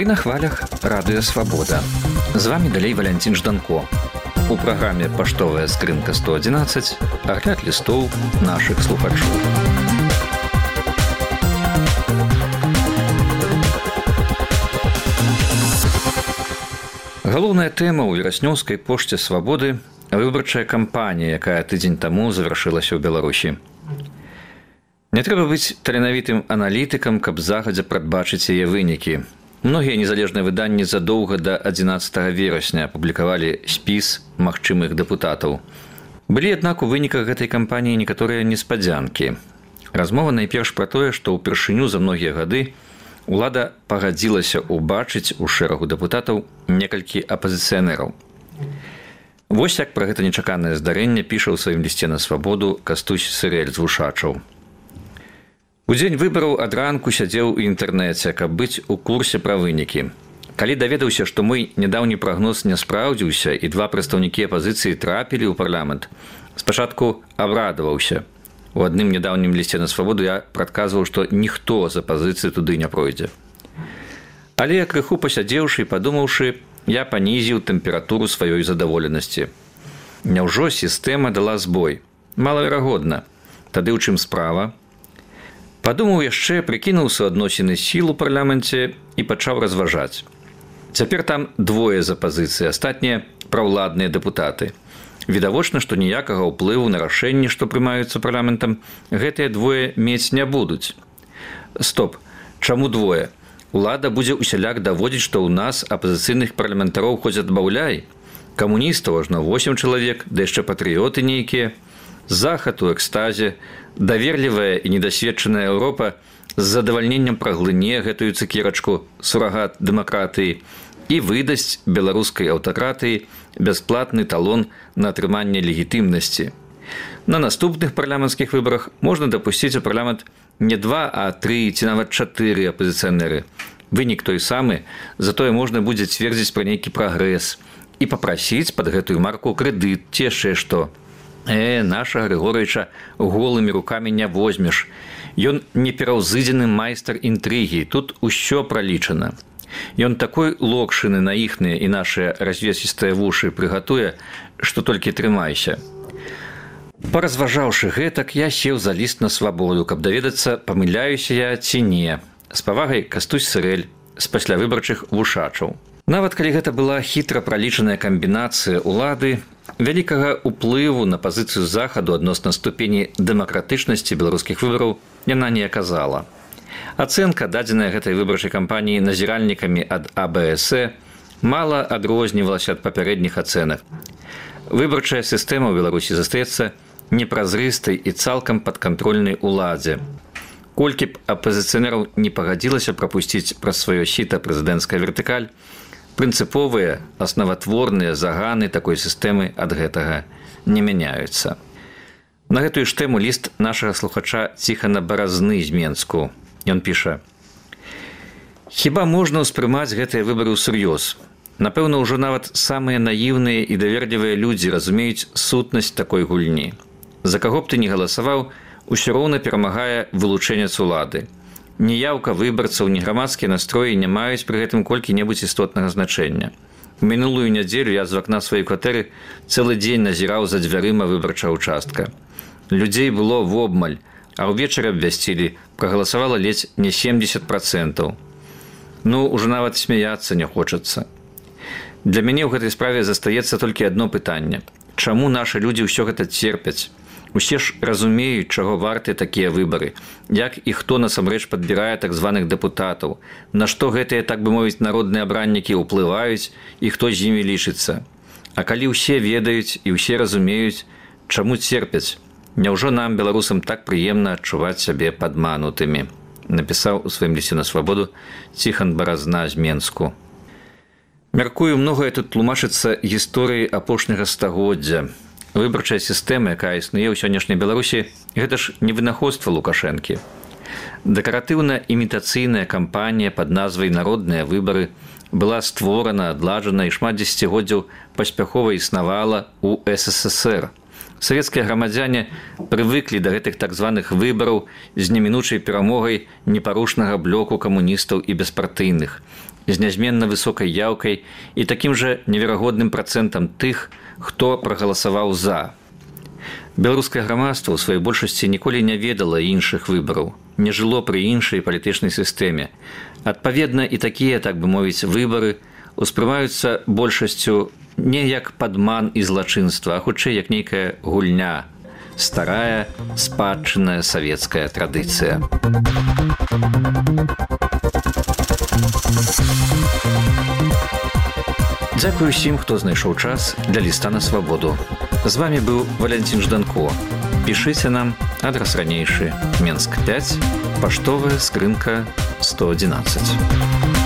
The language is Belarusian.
на хвалях радыё Свабода. З вами далей Валянцін Жданко. У праграме «Паштовая скрынка 111» агляд лістоў нашых слухачоў. Галоўная тэма ў вераснёўскай пошце Свабоды – выбарчая кампанія, якая тыдзень таму завяршылася ў Беларусі. Не трэба быць таленавітым аналітыкам, каб загадзя прадбачыць яе вынікі. Многія незалежныя выданні задоўга да 11 верасня апублікавалі спіс магчымых дэпутатаў. Былі, аднак, у выніках гэтай кампаніі некаторыя неспадзянкі. Размова найперш пра тое, што ўпершыню за многія гады улада пагадзілася ўбачыць у шэрагу дэпутатаў некалькі апазіцыянераў. Вось як пра гэта нечаканае здарэнне піша ў сваім лісце на Свабоду Кастусь Сырэль з Вушачаў. У дзень выбараў ад ранку сядзеў у інтэрнэце, каб быць у курсе пра вынікі. Калі даведаўся, што мой нядаўні прагноз не спраўдзіўся і два прадстаўнікі апазіцыі трапілі ў парламент, спачатку абрадаваўся. У адным нядаўнім лісце на Свабоду я прадказваў, што ніхто з апазіцыі туды не пройдзе. Але крыху пасядзеўшы і падумаўшы, я панізіў тэмпературу сваёй задаволенасці. Няўжо сістэма дала збой? Малаверагодна. Тады ў чым справа? Падумаў яшчэ, прыкінуў суадносіны сіл у парламенце і пачаў разважаць. Цяпер там двое з апазіцыі, астатнія праўладныя дэпутаты. Відавочна, што ніякага ўплыву на рашэнні, што прымаюцца парламентам, гэтыя двое мець не будуць. Стоп, чаму двое? Улада будзе усяляк даводзіць, што ў нас апазіцыйных парламентароў хоць адбаўляй. Камуністаў ажно 8 чалавек, да яшчэ патрыёты нейкія. Захад у экстазе, даверлівая і недасведчаная Еўропа з задавальненнем праглыне гэтую цукерачку сурагат дэмакратыі і выдасць беларускай аўтакратыі бясплатны талон на атрыманне легітымнасці. На наступных парламенцкіх выбарах можна дапусціць у парламент не 2, а 3 ці нават 4 апазіцыянеры. Вынік той самы, затое можна будзе цвердзіць пра нейкі прагрэс і папрасіць пад гэтую марку крэдыт ці яшчэ што. Нашага Григорыча голымі рукамі не возьмеш. Ён непераўзыдзены майстар інтрыгі, тут усё пралічана. Ён такой локшыны на іхныя і нашыя развесістыя вушы прыгатуе, што толькі трымайся. Паразважаўшы гэтак, я сеў за ліст на Свабоду, каб даведацца, памыляюся я ці не. З павагай Кастусь Сырэль з паслявыбарчых Вушачаў. Нават калі гэта была хітра пралічаная камбінацыя улады, вялікага ўплыву на пазіцыю захаду адносна ступені дэмакратычнасці беларускіх выбараў яна не аказала. Ацэнка, дадзеная гэтай выбарчай кампаніі назіральнікамі ад АБС, мала адрознівалася ад папярэдніх ацэнак. Выбарчая сістэма ў Беларусі застаецца непразрыстай і цалкам падкантрольнай уладзе. Колькі б апазіцыянераў не пагадзілася прапусціць праз сваё сіта прэзідэнцкая вертыкаль, прынцыповыя, аснаватворныя заганы такой сістэмы ад гэтага не мяняюцца. На гэтую ж тэму ліст нашага слухача Ціхана Баразны з Менску. Ён піша: «Хіба можна ўспрымаць гэтыя выбары ўсур'ёз? Напэўна, ўжо нават самыя наіўныя і даверлівыя людзі разумеюць сутнасць такой гульні. За каго б ты не галасаваў, усё роўна перамагае вылучэнец улады. Ніяўка выбарцаў, ні грамадскія настроі не маюць пры гэтым колькі-небудзь істотнага значэння. У мінулую нядзелю я з вакна сваёй кватэры цэлы дзень назіраў за дзвярыма выбарчага участка. Людзей было вобмаль, а ўвечары абвясцілі, прагаласавала ледзь не 70%. Ўжо нават смяяцца не хочацца. Для мяне ў гэтай справе застаецца толькі адно пытанне. Чаму нашы людзі ўсё гэта церпяць? Усе ж разумеюць, чаго варты такія выбары, як і хто насамрэч падбірае так званых дэпутатаў, на што гэтыя, так бы мовіць, народныя абраннікі ўплываюць і хто з імі лічыцца. А калі ўсе ведаюць і ўсе разумеюць, чаму церпяць? Няўжо нам, беларусам, так прыемна адчуваць сябе падманутымі? Напісаў у сваім лісце на Свабоду Ціхан Баразна з Менску. Мяркую, многае тут тлумачыцца гісторыяй апошняга стагоддзя. Выбарчая сістэма, якая існуе ў сённяшняй Беларусі, гэта ж не вынаходства Лукашэнкі. Дэкаратыўна-імітацыйная кампанія пад назвай «Народныя выбары» была створана, адладжана і шмат дзесяцігоддзяў паспяхова існавала ў СССР. Савецкія грамадзяне прывыклі да гэтых так званых выбараў з немінучай перамогай непарушнага блоку камуністаў і беспартыйных. з нязменна высокай яўкай і такім жа неверагодным працэнтам тых, хто прагаласаваў «за». Беларускае грамадства ў сваёй большасці ніколі не ведала іншых выбараў, не жыло пры іншай палітычнай сістэме. Адпаведна, і такія, так бы мовіць, выбары успрымаюцца большасцю не як падман і злачынства, а хутчэй як нейкая гульня, старая, спадчынная савецкая традыцыя. Дзякую усім, хто знайшоў час для ліста на свабоду. З вами быў Валянцін Жданко. Пішыце нам, адрас ранейшы, Менск 5, паштовая скрынка 111.